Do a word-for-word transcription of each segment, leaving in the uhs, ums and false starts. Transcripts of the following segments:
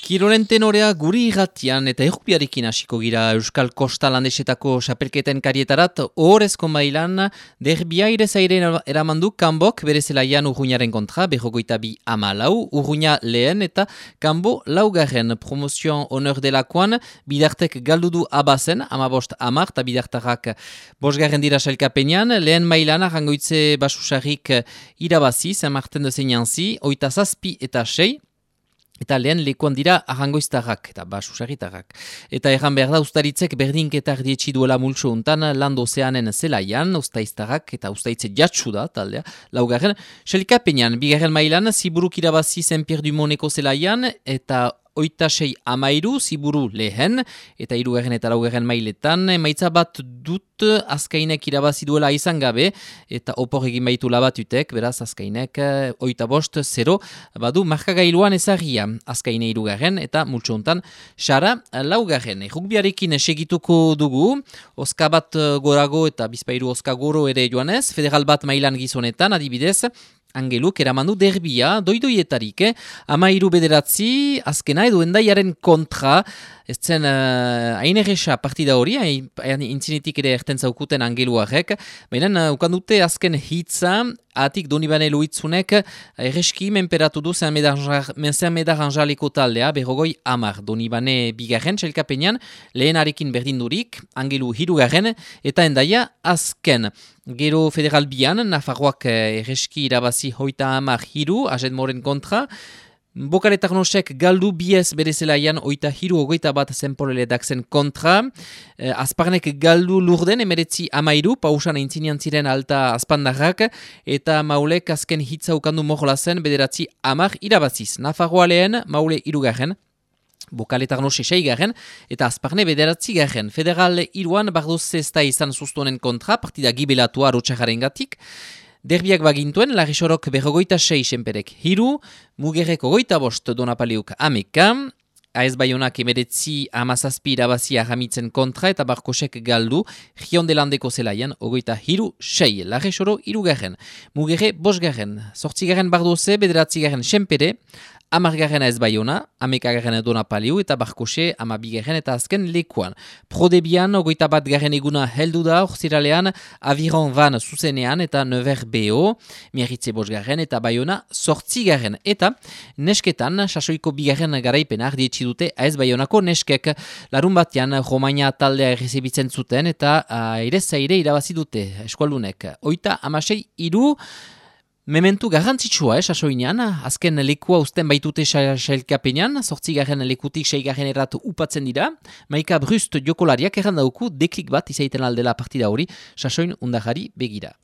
Kirolen tenorea guri irratian eta errukbiarekin hasiko gira Euskal Kosta landesetako xapelketen karietarat ohorezko mailan derbia irezaire eramandu kanbok bere zelaian Urruñaren kontra berrogoita bi amalau, Urruña lehen eta kanbo laugarren promozioan honor delakoan bidartek galdudu abazen amabost amar eta bidartarrak bosgarren dira sailkapenean, lehen mailan arrangoitze basusarrik irabazi, San Martin de Seinanzi, oita zazpi eta sei, eta lehen lekuan dira arrangoiztarrak eta basusarritarrak. Eta erran behar da ustaritzek berdinketar dietxi duela multso untan Lando Ozeanen zelaian, ustaiztarrak eta ustaitze jatsu da, taldea, laugarren. Selkapenean, bigarren mailan, Ziburuk irabazi Saint-Pierre du Moneko zelaian, eta oita sei amairu, Ziburu lehen, eta hirugarren eta laugarren mailetan, emaitza bat dut Azkainek irabazi duela izan gabe, eta opor egin baitu labatutek, beraz Azkainek oita bost, zero, badu markagailuan ezarria, Azkaine hirugarren, eta multso hontan Sara laugarren. Rugbiarekin segituko dugu, oska bat gorago eta bizpairu oska goro ere joanez, federal bat mailan gizonetan, adibidez, Angeluk eramandu derbia, doidoietarik, eh? Amairu bederatzi, azkena edo endaiaren kontra, ez zen uh, hain erresa partida hori, hain intzinetik ere erten zaukuten Angeluarek, baina uh, ukandute azken hitza, atik Donibane Luitzunek erreski menperatu du zen medar anjaleko taldea, berrogoi amar. Donibane bigarren txelkapenean, lehenarekin berdindurik, Angelu hirugarren, eta endaia azken. Gero federal bian, Nafarroak erreski irabazi hoita amar hiru, Ajet Moren kontra, Bokale Tarnosek galdu biez bere zelaian oita hiru ogoita bat zenporele dakzen kontra. Eh, Azparnek galdu lurden emeretzi amairu, pausan aintzinean ziren alta azpandarrak, eta Maulek azken hitza ukandu morlazen bederatzi amar irabaziz. Nafarroa lehen, Maule irugarren, Bokale Tarnose seigarren, eta Azparne bederatzi garren. Federal iruan bardoz zesta izan sustonen kontra, partida gibelatua rotxarraren gatik. Derbiak bagintuen, Larrisorok berrogoita sei senperek hiru, Mugerrek ogoita bost Donapaliuk ameka, Aez Baionak emeretzi amazazpi irabazi ahamitzen kontra eta Barkosek galdu, Giondelandeko zelaian ogoita hiru sei, Larrisoro irugarren, Mugerre bosgarren, sortzigarren bardoze, bederatzigarren senpere, amargarren Aez Baiona, amekagarren Donapaliu eta Barkose amabigarren eta azken lekuan. Prodebian, ogoita bat garren eguna heldu da, orziralean, Aviron van zuzenean eta Never B O, Miarritze bosgarren eta Baiona sortzigarren. Eta nesketan, sasoiko bigarren garaipena ardietxi dute Aez Baionako neskek. Larun batean, Romagna taldea errezibitzen zuten eta aire zaire irabazi dute eskualdunek. Oita amasei iru, mementu garrantzitsua, eh, sasoinean, azken lekua usten baitute sailkapenean, sortzigarren lekutik seigarren errat upatzen dira, Maika Brust jokolariak errandauku deklik bat izaiten aldela partida hori, sasoin undajari begira.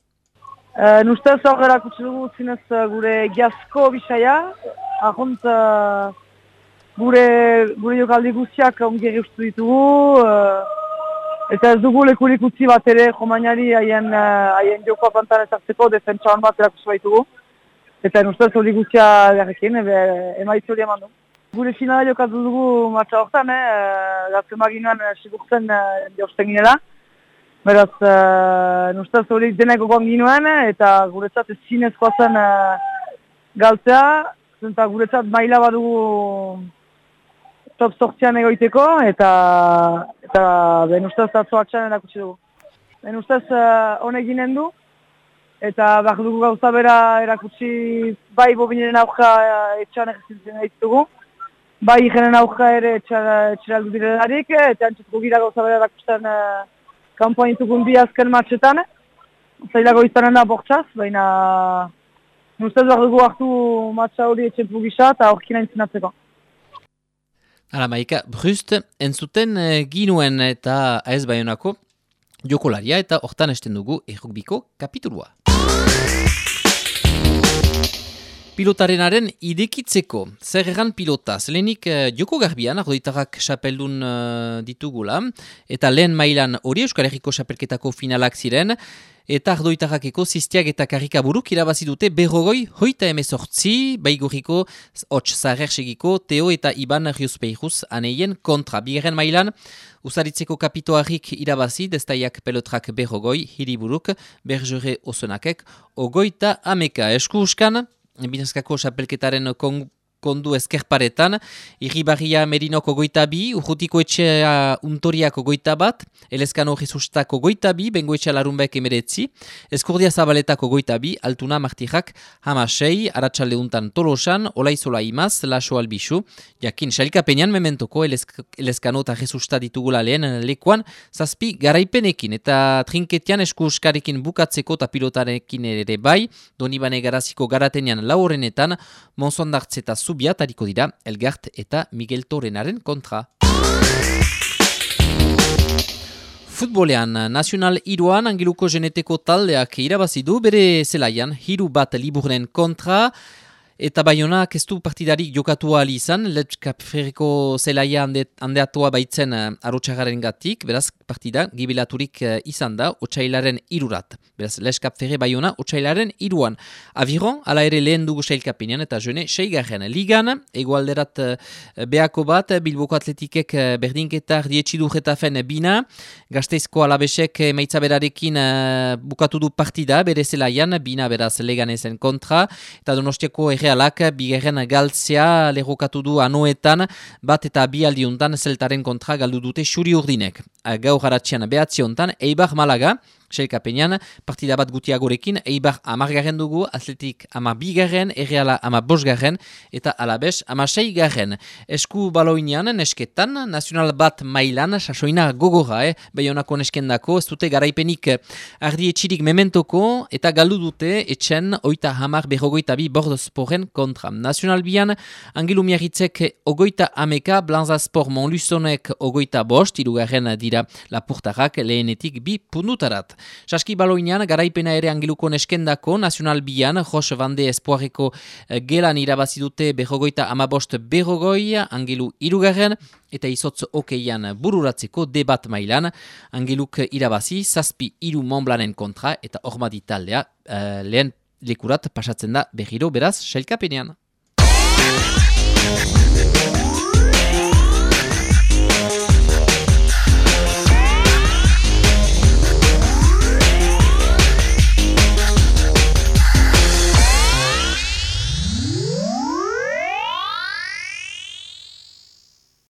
Uh, Nustez hor erakutsi dugu zinez gure giazko bisaia, ahont uh, gure, gure jokaldi guztiak ongerri ustu ditugu, uh, eta ez dugu lekurik utzi bat ere Romagnari haien uh, jokoa pantan ezartzeko defentsa hon bat erakusi baitugu. Eta nustez hori guztia garrekin, emaitzi hori eman du. Gure finala jokatu dugu matxa horretan, eh, gazte maginuan sigurtzen uh, jausten ginela. Beraz, uh, nustez hori denek gogoan ginuen, eta guretzat ez zinezkoa zen uh, galtzea, eta guretzat maila badugu top sortzean egoiteko, eta eta ben ustez atzo atxan erakutsi dugu. Ben ustez honek uh, ginen du, eta behar dugu gauza bera erakutsi bai bobineren aurka uh, etxan egizitzen ditugu, bai jenen aurka ere etxeraldu direlarik, eta antzutuko gira gauza bera erakusten uh, kanpoan intukun bi azken matxetan, zailago izanen da bortxaz, baina ustez behar dugu hartu matxa hori etxenpu gisa eta horkina intzinatzeko. Hala, Maika Brust, entzuten uh, ginuen eta Aez Baionako jokolaria eta hortan esten dugu errukbiko kapitulua. Pilotarenaren idekitzeko, zer erran pilotaz, lehenik uh, joko garbian, ardoitarrak xapeldun uh, ditugula, eta lehen mailan hori Euskal Herriko xapelketako finalak ziren, eta ardoitarrakeko ziztiak eta karikaburuk irabazi dute berrogoi hoita emezortzi, baigurriko hots zahersegiko Teo eta Iban Riuspeiruz aneien kontra. Bigarren mailan, usaritzeko kapitoarrik irabazi, destaiak pelotrak berrogoi, hiriburuk, berjure osonakek, ogoita ameka. Esku uskan, Binazkako xapelketaren kondu ezkerparetan, Irribarria Merinoko goita bi, Urrutiko etxea Untoriako goita bat, Elezkano Jesustako goita bi, Bengoetxea Larunbek emeretzi, Eskurdia Zabaletako goita bi, Altuna Martirrak hamasei, Aratsalde untan Tolosan, Olaizola Imaz, Laso Albisu, jakin sailkapenean mementoko Elezkano eta Jesusta ditugula lehen lekuan, zazpi garaipenekin, eta trinketian eskuskarekin bukatzeko eta pilotarekin ere bai, Donibane Garaziko garatenean laurenetan, Monzondartz eta Zubia tariko dira Elgart eta Miguel Torenaren kontra. Futbolean, Nacional hiruan Angeluko Geneteko taldeak irabazidu bere zelaian hiru bat liburren kontra, eta Baionak ez du partidarik jokatu ahal izan, Letxkapferreko zelaia ande, handeatua baitzen uh, arotxagaren gatik, beraz partida gibilaturik uh, izan da, otsailaren irurat. Beraz, Letxkapferre Baiona otsailaren iruan. Aviron, ala ere lehen dugu sailkapenean eta jone seigarren. Ligan, egoalderat uh, beako bat, Bilboko Atletikek uh, berdinketar dietxidu Getafen bina, Gasteizko Alabesek meitzaberarekin uh, bukatu du partida, bere zelaian, bina beraz Leganezen kontra, eta Donostiako erre Alak, bigarren galtzea lerrokatu du anoetan, bat eta bi aldiuntan zeltaren kontra galdu dute xuri urdinek. Gaur haratxean behatziontan, Eibar Malaga, sailkapenean, partida bat gutiagorekin, Eibar amargarren dugu, Atletik ama bigarren, Erreala ama bosgarren, eta Alabes ama seigarren. Esku baloinean, nesketan, nazional bat mailan, sasoina gogorra, eh? Baionako neskendako, ez dute garaipenik ardi etxirik mementoko, eta galdu dute etxen, oita hamar berrogoita bi bordosporen kontra. Nazional bian, Angelu Miarritzek ogoita ameka, Blanzaspor Monluzonek ogoita bost, irugarren dira lapurtarrak lehenetik bi punutarat. Saski baloinean, garaipena ere Angeluko neskendako, Nacional bian, Jos Bande Espoareko gelan irabazi dute berrogoita amabost berrogoi, Angelu irugarren, eta izotz okeian bururatzeko debat mailan, Angeluk irabazi, zazpi iru Montblanen kontra, eta hormadi taldea uh, lehen lekurat pasatzen da berriro beraz sailkapenean.